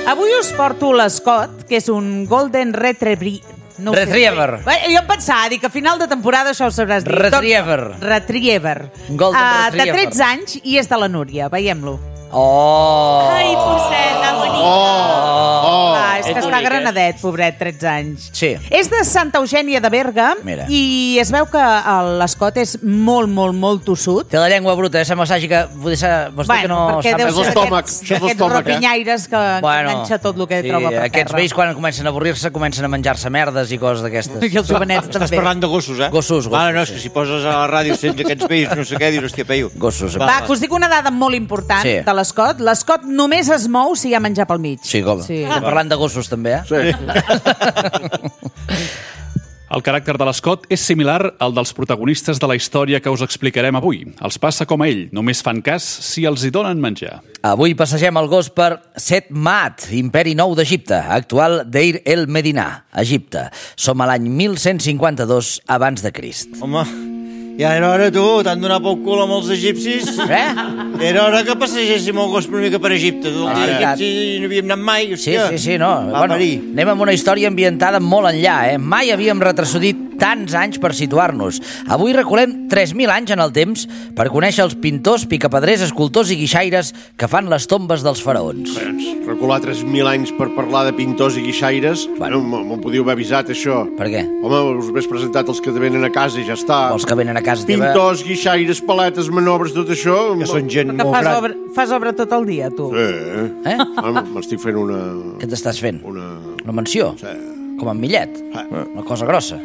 Avui us porto l'Scott, que és un Golden Retriever. Retriever. Jo em pensava, dic, a final de temporada això ho sabràs dir. Retriever. Golden Retriever. De 13 anys i és de la Núria. Veiem-lo. Ai, posseta, bonic. És que està granadet, pobret, 13 anys. Sí. És de Santa Eugènia de Berga. Mira. I es veu que l'Scott és molt, molt, molt tossut. Té la llengua bruta, sembla que... Bueno, perquè deu ser d'aquests rapinyaires que enganxa tot el que troba per terra. Aquests vells, quan comencen a avorrir-se, comencen a menjar-se merdes i coses d'aquestes. I els jovenets també. Estàs parlant de gossos, Gossos. No, és que si poses a la ràdio sents aquests vells, no sé què, dius, hòstia, peio. Gossos. Va, que us dic una dada molt important de l'Scott. L'Scott només es mou si hi ha menjar pel mig. Sí, com? Estem parlant de gossos, també, Sí. El caràcter de l'Scott és similar al dels protagonistes de la història que us explicarem avui. Els passa com a ell, només fan cas si els hi donen menjar. Avui passegem el gos per Set Mat, Imperi Nou d'Egipte, actual Deir el Medina, Egipte. Som a l'any 1152 abans de Crist. Home, ja era hora, tu, t'han donat pel cul amb els egipcis. Era hora que passegéssim el gos una mica per Egipte. Els egipcis no havíem anat mai. Sí, no. Bueno, anem amb una història ambientada molt enllà, Mai havíem retrocedit tants anys per situar-nos. Avui reculem 3.000 anys en el temps per conèixer els pintors, picapedrers, escultors i guixaires que fan les tombes dels faraons. Recular 3.000 anys per parlar de pintors i guixaires, m'ho podíeu haver avisat, això. Per què? Home, us hagués presentat els que venen a casa i ja està. Els que venen a casa teva... Pintors, guixaires, paletes, manobres, tot això... Que són gent molt gran. Fas obra tot el dia, tu. Sí. M'estic fent una... Què t'estàs fent? Una mansió? Sí. Com en Millet? Una cosa grossa?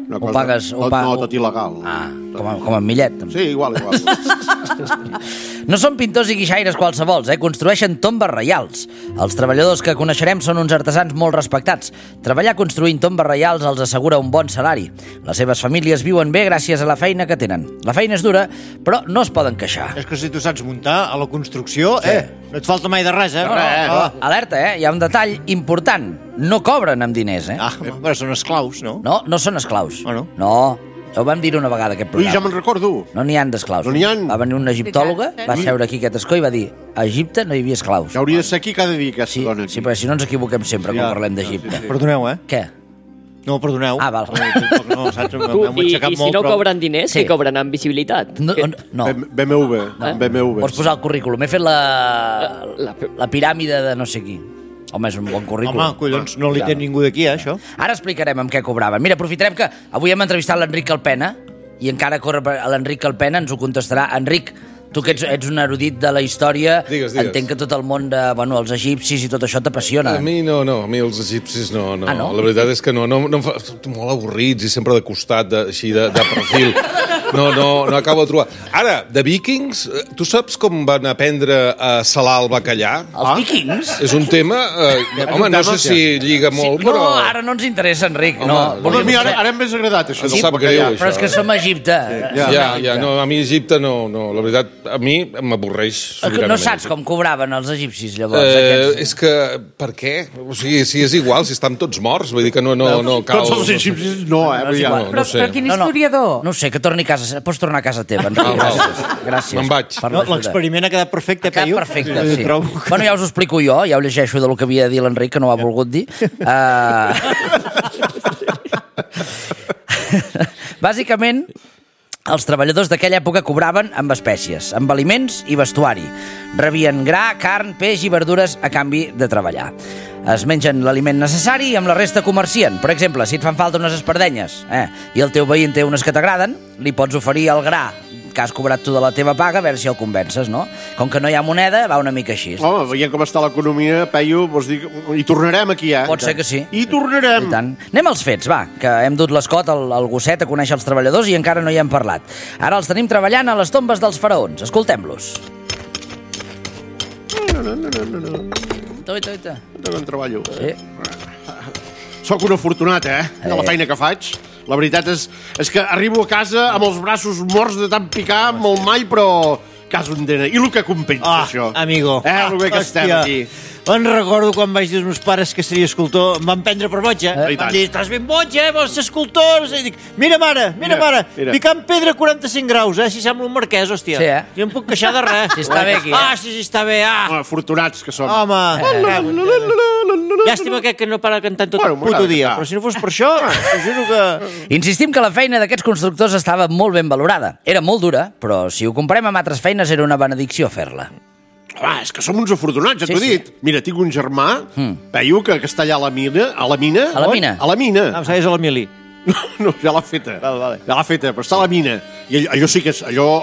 Una cosa... No, tot il·legal. Com en Millet. Sí, igual. No són pintors i guixaires qualsevols, construeixen tombes reials. Els treballadors que coneixerem són uns artesans molt respectats. Treballar construint tombes reials els assegura un bon salari. Les seves famílies viuen bé gràcies a la feina que tenen. La feina és dura, però no es poden queixar. És que si tu saps muntar a la construcció, no et falta mai de res, Alerta, hi ha un detall important. No cobren amb diners, Però són esclaus, no? No són esclaus. No. Ho vam dir una vegada, aquest programa. Ja me'n recordo. No n'hi ha d'esclaus. No n'hi ha. Va venir una egiptòloga, va seure aquí aquest escó i va dir a Egipte no hi havia esclaus. Ja hauria de ser aquí cada dia, aquesta dona. Sí, però si no ens equivoquem sempre quan parlem d'Egipte. Perdoneu, Què? No, perdoneu. Val. No, saps? I si no cobren diners, què cobren? Amb visibilitat? No. BMW. Pots posar el currículum. He fet la piràmide de no sé qui. Home, és un bon currículum. Home, collons, no li té ningú d'aquí, això. Ara explicarem amb què cobraven. Mira, aprofitarem que avui hem entrevistat l'Enric Alpena i encara corre l'Enric Alpena, ens ho contestarà. Enric, tu que ets un erudit de la història, digues. Entenc que tot el món els egipcis i tot això t'apassiona. A mi no, a mi els egipcis no. No? La veritat és que no, molt avorrits i sempre de costat, així de perfil. No acabo de trobar. Ara, de Vikings, tu saps com van aprendre a salar el bacallà? Els Vikings? És un tema... Home, no sé si lliga molt, però... No, ara no ens interessa, Enric. Ara em més agradat, això. Sí, sap greu, això. Però és que som a Egipte. Ja, no, a mi Egipte no. La veritat, a mi m'avorreix sobiranament. No saps com cobraven els egipcis, llavors? És que, per què? O sigui, si és igual, si estan tots morts, vull dir que no cal... Tots els egipcis no, Però quin historiador? No sé, que torni a casa. Pots tornar a casa teva, Enric. Gràcies. Me'n vaig. L'experiment ha quedat perfecte, Peyu. Ha quedat perfecte, sí. Bueno, ja us ho explico jo, ja ho llegeixo del que havia de dir l'Enric, que no ho ha volgut dir. Bàsicament, els treballadors d'aquella època cobraven amb espècies, amb aliments i vestuari. Rebien gra, carn, peix i verdures a canvi de treballar. Es mengen l'aliment necessari i amb la resta comercien. Per exemple, si et fan falta unes espardenyes i el teu veí en té unes que t'agraden, li pots oferir el gra que has cobrat tu de la teva paga, a veure si el convences, no? Com que no hi ha moneda, va una mica així. Home, veient com està l'economia, Peyu, vols dir... Hi tornarem aquí, Pot ser que sí. Hi tornarem. I tant. Anem als fets, va, que hem dut l'escot al gosset a conèixer els treballadors i encara no hi hem parlat. Ara els tenim treballant a les tombes dels faraons. Escoltem-los. Toita. No treballo. Sí. Soc un afortunat, de la feina que faig. La veritat és que arribo a casa amb els braços morts de tant picar amb el mall, però cas un dena. I el que compensa, això? Amigo. El bé que estem aquí. Me'n recordo quan vaig dir als meus pares que seria escultor, em van prendre per boig, Em van dir, estàs ben boig, vols ser escultor? I dic, mira, mare, picant pedra a 45 graus, si sembla un marquès, hòstia. Sí, Jo em puc queixar de res. Si està bé aquí, Sí, està bé, Afortunats que som. Home. Llàstima que no para cantant tot el puto dia, però si no fos per això, t'ho juro que... Insistim que la feina d'aquests constructors estava molt ben valorada. Era molt dura, però si ho comparem amb altres feines era una benedicció fer-la. És que som uns afortunats, ja t'ho he dit. Mira, tinc un germà, Peyu, que està allà a la mina. A la mina? A la mina? A la mina. Em sabies a l'Emili. No, ja l'ha feta. Vale. Ja l'ha feta, però està a la mina. I allò sí que és... Allò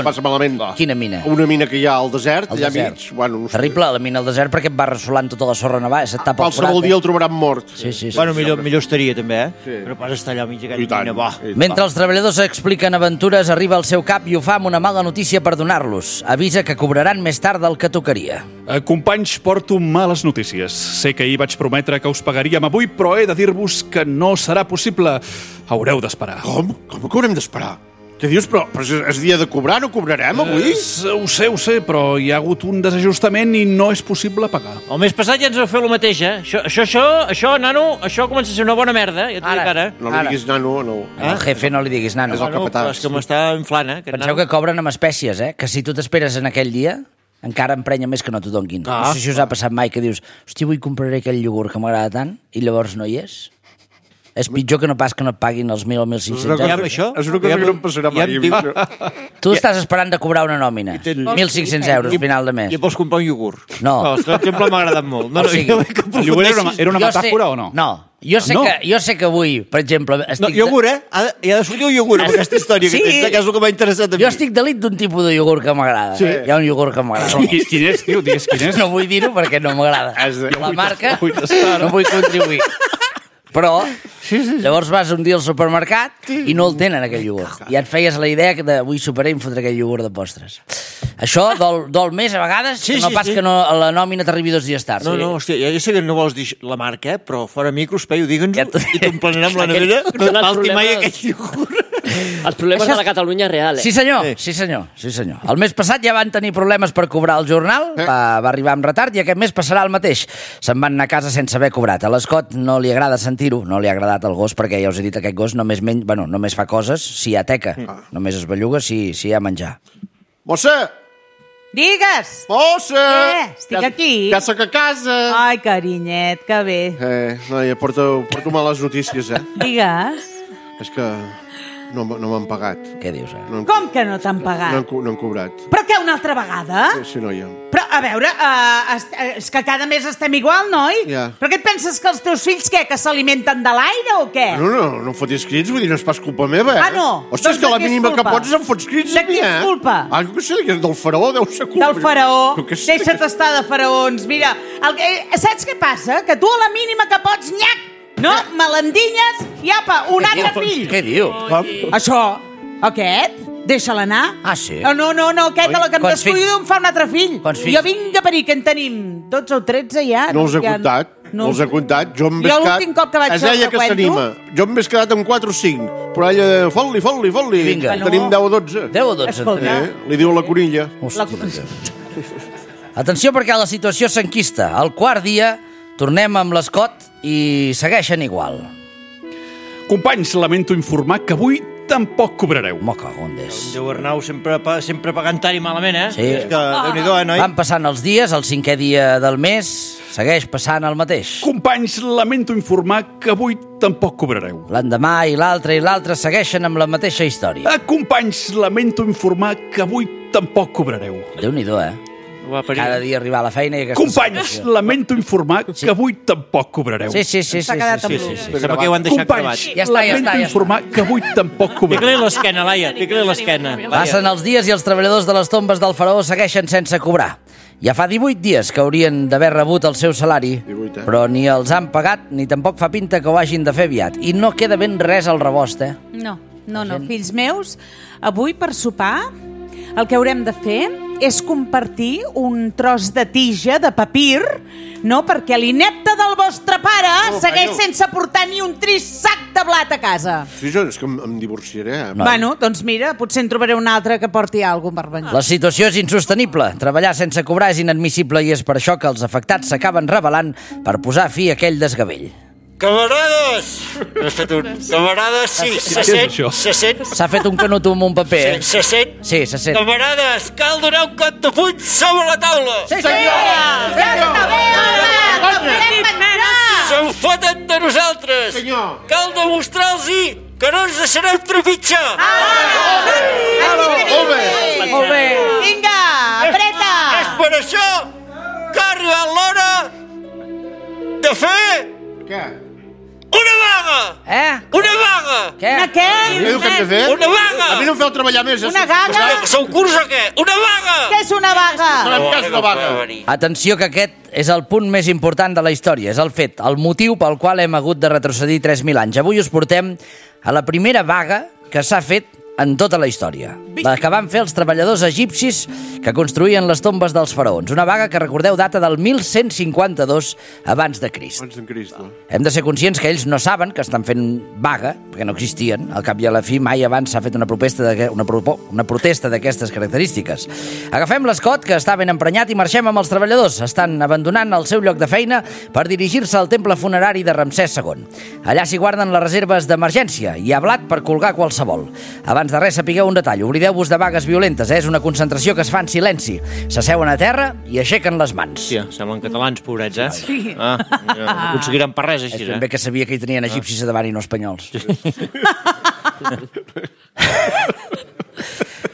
passa malament. Quina mina? Una mina que hi ha al desert, allà mig. Bueno, terrible, la mina al desert, perquè et va ressolant tota la sorra nevada, se't tapa el forat. Qualsevol dia el trobaran mort. Sí. Bueno, millor estaria, també, Però pas estar allà al mig d'aquella mina, Mentre els treballadors expliquen aventures, arriba al seu cap i ho fa amb una mala notícia per donar-los. Avisa que cobraran més tard del que tocaria. Companys, porto males notícies. Sé que ahir vaig prometre que us pagaríem avui, però he de dir-vos que no serà possible. Haureu d'esperar. Com que haurem d'esperar? Què dius? Però és dia de cobrar, no cobrarem avui? Ho sé, però hi ha hagut un desajustament i no és possible pagar. El mes passat ja ens vau fer el mateix, Això, nano, això comença a ser una bona merda, ja t'ho dic ara. No li diguis nano, no. Al jefe no li diguis nano. És el capità. És que m'està inflant, Penseu que cobren amb espècies, Que si tu t'esperes en aquell dia, encara emprenya més que no t'ho donguin. No sé si us ha passat mai que dius, hòstia, avui compraré aquell iogurt que m'agrada tant, i llavors no hi és. És pitjor que no pas que no et paguin els 1.000 o 1.500 euros. És una cosa que no em passarà mai. Tu estàs esperant de cobrar una nòmina. 1.500 euros final de mes. I vols comprar un iogurt? No. Per exemple, m'ha agradat molt. El iogurt era una metàfora o no? No. Jo sé que avui, per exemple... Iogurt, Hi ha de sortir un iogurt amb aquesta història, que és el que m'ha interessat a mi. Jo estic delit d'un tipus de iogurt que m'agrada. Hi ha un iogurt que m'agrada. Quin és, tio? Digues quin és. No vull dir-ho perquè no m'agrada. La marca no vull contribuir. Però llavors vas un dia al supermercat i no el tenen, aquell iogurt. I et feies la idea que avui superaré i em fotré aquell iogurt de postres. Això dol més a vegades, no pas que la nòmina t'arribi 2 dies tard. No, hòstia, ja sé que no vols dir la marca, però fora micros, Peyu, digue'ns-ho i t'emplenarem la nevera. No et falti mai aquell iogurt. Els problemes de la Catalunya real, Sí, senyor. El mes passat ja van tenir problemes per cobrar el jornal, va arribar amb retard i aquest mes passarà el mateix. Se'n van anar a casa sense haver cobrat. A l'Escot no li agrada sentir-ho, no li ha agradat al gos, perquè ja us he dit, aquest gos només fa coses si hi ha teca. Només es belluga si hi ha menjar. Mossa! Digues! Mossa! Estic aquí. Ja soc a casa. Ai, carinyet, que bé. Noia, porto males notícies, Digues. És que no m'han pagat. Què dius, Com que no t'han pagat? No han cobrat. Però què, una altra vegada? Sí, noia. Però, a veure, és que cada mes estem igual, noi? Ja. Però què et penses que els teus fills, què, que s'alimenten de l'aire o què? No fotis crits, vull dir, no és pas culpa meva, no? Hòstia, és que la mínima que pots em fots crits a mi, De qui és culpa? No sé, del faraó deu ser culpa. Del faraó? Deixa't estar de faraons. Mira, saps què passa? Que tu a la mínima que pots, nyac! No, me l'endinyes i apa, un altre fill. Què diu? Això. Aquest? Deixa'l anar. Ah, sí? No, aquest de la que em descuido em fa un altre fill. Jo vinga per que en tenim 12 o 13 ja. No els he comptat. No els he comptat. Jo l'últim cop que vaig fer el recuento... Jo m'he quedat amb 4 o 5. Però ella, fot-li. Vinga. Tenim 10 o 12. 10 o 12. Li diu la conilla. Atenció perquè la situació s'enquista. Al quart dia tornem amb l'Escot i segueixen igual. Companys, lamento informar que avui tampoc cobrareu. Me cago en Déu. Déu Arnau sempre pagant tard i malament, eh? Sí. És que, Déu-n'hi-do, noi? Van passant els dies, el 5è dia del mes segueix passant el mateix. Companys, lamento informar que avui tampoc cobrareu. L'endemà i l'altre segueixen amb la mateixa història. Companys, lamento informar que avui tampoc cobrareu. Déu-n'hi-do, Cada dia arribar a la feina i aquesta Companys, situació. Lamento informar que avui tampoc cobrareu. Sí. S'ha quedat amb Sembla que ho han deixat gravat. Lamento informar que avui tampoc cobrareu. Fica-li l'esquena, Laia, fica-li l'esquena. Passen els dies i els treballadors de les tombes del faraó segueixen sense cobrar. Ja fa 18 dies que haurien d'haver rebut el seu salari, però ni els han pagat ni tampoc fa pinta que ho hagin de fer aviat. I no queda ben res al rebost, No, fills meus, avui per sopar el que haurem de fer és compartir un tros de tija de papir, perquè l'inepte del vostre pare segueix sense portar ni un trist sac de blat a casa. Sí, és que em divorciaré. Bueno, doncs mira, potser en trobaré un altre que porti alguna cosa per venir. La situació és insostenible. Treballar sense cobrar és inadmissible i és per això que els afectats s'acaben rebel·lant per posar fi a aquell desgavell. Camarades! Has fet un... Camarades, sí, se sent. S'ha fet un canut amb un paper, Se sent? Sí, se sent. Camarades, cal donar un cop de puny sobre la taula! Sí, senyor! Se'n foten de nosaltres! Senyor! Cal demostrar-los-hi que no ens deixarem trepitjar! Molt bé! Vinga, apreta! És per això que ha arribat l'hora de fer... Què? Una vaga! Una vaga! Què? Què? Què diu que hem de fer? Una vaga! A mi no em feu treballar més. Una vaga? Sou curts o què? Una vaga! Què és una vaga? Farem cas de vaga. Atenció que aquest és el punt més important de la història. És el fet, el motiu pel qual hem hagut de retrocedir 3.000 anys. Avui us portem a la primera vaga que s'ha fet en tota la història. La que van fer els treballadors egipcis que construïen les tombes dels faraons. Una vaga que, recordeu, data del 1152 abans de Crist. Hem de ser conscients que ells no saben que estan fent vaga, perquè no existien. Al cap i a la fi, mai abans s'ha fet una protesta d'aquestes característiques. Agafem l'Escot, que està ben emprenyat, i marxem amb els treballadors. Estan abandonant el seu lloc de feina per dirigir-se al temple funerari de Ramsès II. Allà s'hi guarden les reserves d'emergència i hi ha blat per colgar qualsevol. Abans de res, sapigueu un detall. Oblideu-vos de vagues violentes, És una concentració que es fa en silenci. S'asseuen a terra i aixequen les mans. Hòstia, semblen catalans, pobrets, Sí. No aconseguiran per res, així, És ben bé que sabia que hi tenien egipcis a davant i no espanyols.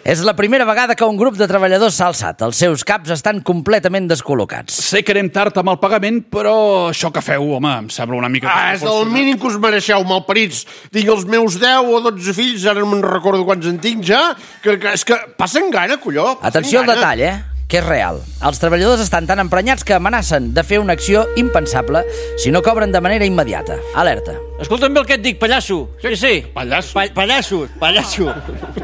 És la primera vegada que un grup de treballadors s'ha alçat. Els seus caps estan completament descol·locats. Sé que anem tard amb el pagament, però això que feu, home, em sembla una mica... És el mínim que us mereixeu, malparits. Tinc els meus 10 o 12 fills, ara no me'n recordo quants en tinc ja, que és que passen gana, colló. Atenció al detall, que és real. Els treballadors estan tan emprenyats que amenacen de fer una acció impensable si no cobren de manera immediata. Alerta. Escolta'm bé el que et dic, pallasso. Sí. Pallasso? Pallasso.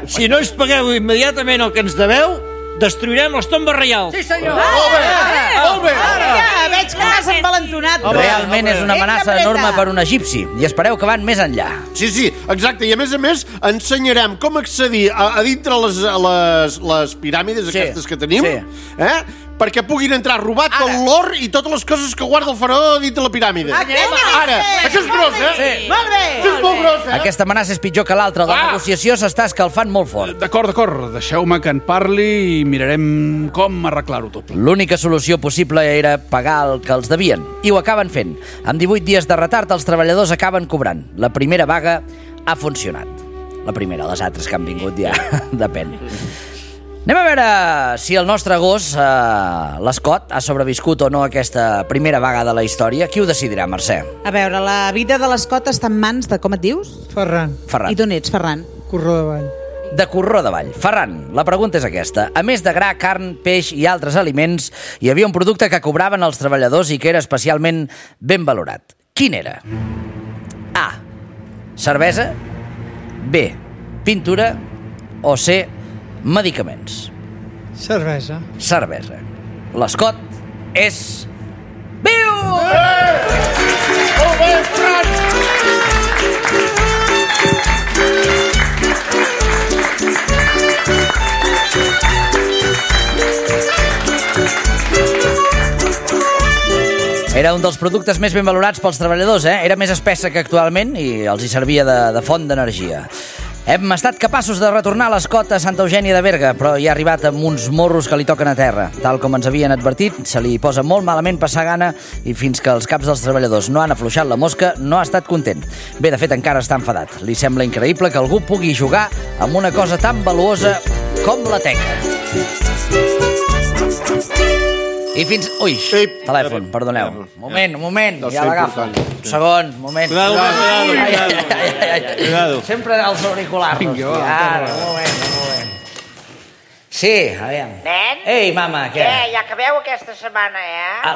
Si no ens pagueu immediatament el que ens deveu, destruirem les tombes reials. Sí, senyor. Molt bé. Ja, veig que t'has envalentonat. Realment és una amenaça enorme per un egipci i espereu que van més enllà. Sí, exacte. I a més, ensenyarem com accedir a dintre les piràmides aquestes que tenim, perquè puguin entrar robat tot l'or i totes les coses que guarda el faraó dintre la piràmide. Ara, això és gros, Sí. Molt bé. Això és molt gros, Aquesta amenaça és pitjor que l'altra. La negociació s'està escalfant molt fort. D'acord. Deixeu-me que en parli i mirarem com arreglar-ho tot. L'única solució possible era pagar el que els devien. I ho acaben fent. Amb 18 dies de retard, els treballadors acaben cobrant. La primera vaga ha funcionat. La primera, les altres que han vingut ja depèn. Anem a veure si el nostre gos, l'Escot, ha sobreviscut o no a aquesta primera vaga de la història. Qui ho decidirà, Mercè? A veure, la vida de l'Escot està en mans de, com et dius? Ferran. I d'on ets, Ferran? Corró de Vall. De Corró de Vall. Ferran, la pregunta és aquesta. A més de gra, carn, peix i altres aliments, hi havia un producte que cobraven els treballadors i que era especialment ben valorat. Quin era? A. Cervesa. B. Pintura. o C, medicaments? Cervesa. Cervesa. L'escot és... Viu! Molt bé, Fran! Era un dels productes més ben valorats pels treballadors, Era més espessa que actualment i els hi servia de font d'energia. Hem estat capaços de retornar l'escot a Santa Eugènia de Berga, però hi ha arribat amb uns morros que li toquen a terra. Tal com ens havien advertit, se li posa molt malament passar gana i fins que els caps dels treballadors no han afluixat la mosca, no ha estat content. Bé, de fet, encara està enfadat. Li sembla increïble que algú pugui jugar amb una cosa tan valuosa com la teca. I fins... Ui, telèfon, perdoneu. Moment, ja l'agafo. Un segon, moment. Cuidado. Sempre els auriculars. Ara, un moment. Sí, aviam. Nen? Ei, mama, què? Què, ja acabeu aquesta setmana,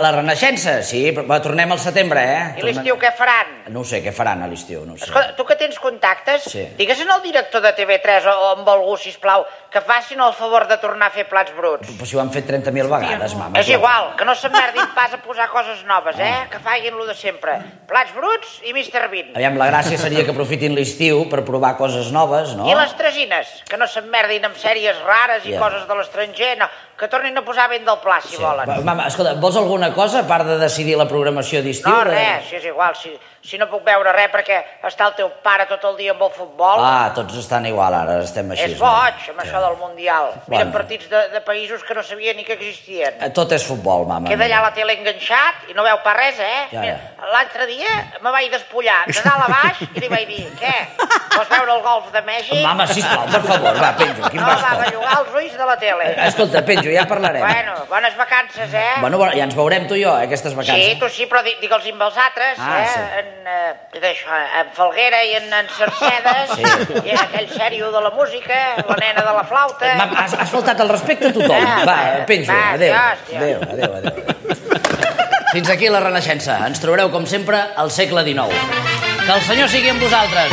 La Renaixença, sí, però tornem al setembre, I l'estiu què faran? No ho sé, què faran a l'estiu, no ho sé. Escolta, tu que tens contactes, Sí. digues al director de TV3 o amb algú, sisplau, que facin el favor de tornar a fer plats bruts. Però si ho han fet 30.000 vegades, mama. És igual, que no s'emmerdin pas a posar coses noves, que facin lo de sempre. Plats bruts i Mr. Bean. Aviam, la gràcia seria que aprofitin l'estiu per provar coses noves, no? I les tresines, que no s'emmerdin amb sèries rares i Ja. coses de l'estranger, no, que tornin a posar ben del pla, si volen. Mama, escolta, vols alguna cosa a part de decidir la programació d'estiu? No, res, si és igual, si no puc veure res perquè està el teu pare tot el dia amb el futbol. Tots estan igual ara, estem així. És boig, amb això del Mundial. Miren Bueno. partits de països que no sabia ni que existien. Tot és futbol, mama. Queda allà la tele enganxat i no veu pas res, Ja. Mira, l'altre dia me vaig despullar de dalt a baix i li vaig dir, què? Vols veure el golf de Mèxic? Mama, sisplau, per favor, va, penjo. Quin No, va bellugar els ulls de la tele. Escolta, penjo, ja parlarem. Bueno, bones vacances, Bueno, ja ens veurem tu i jo, aquestes vacances. Sí, tu sí, però digue'ls amb els altres, Sí. En Falguera i en Cercedes, i en aquell sèrio de la música, la nena de la flauta... Has faltat el respecte a tothom. Va, penjo, adéu. Adéu. Fins aquí la Renaixença. Ens trobareu, com sempre, al segle XIX. Que el Senyor sigui amb vosaltres.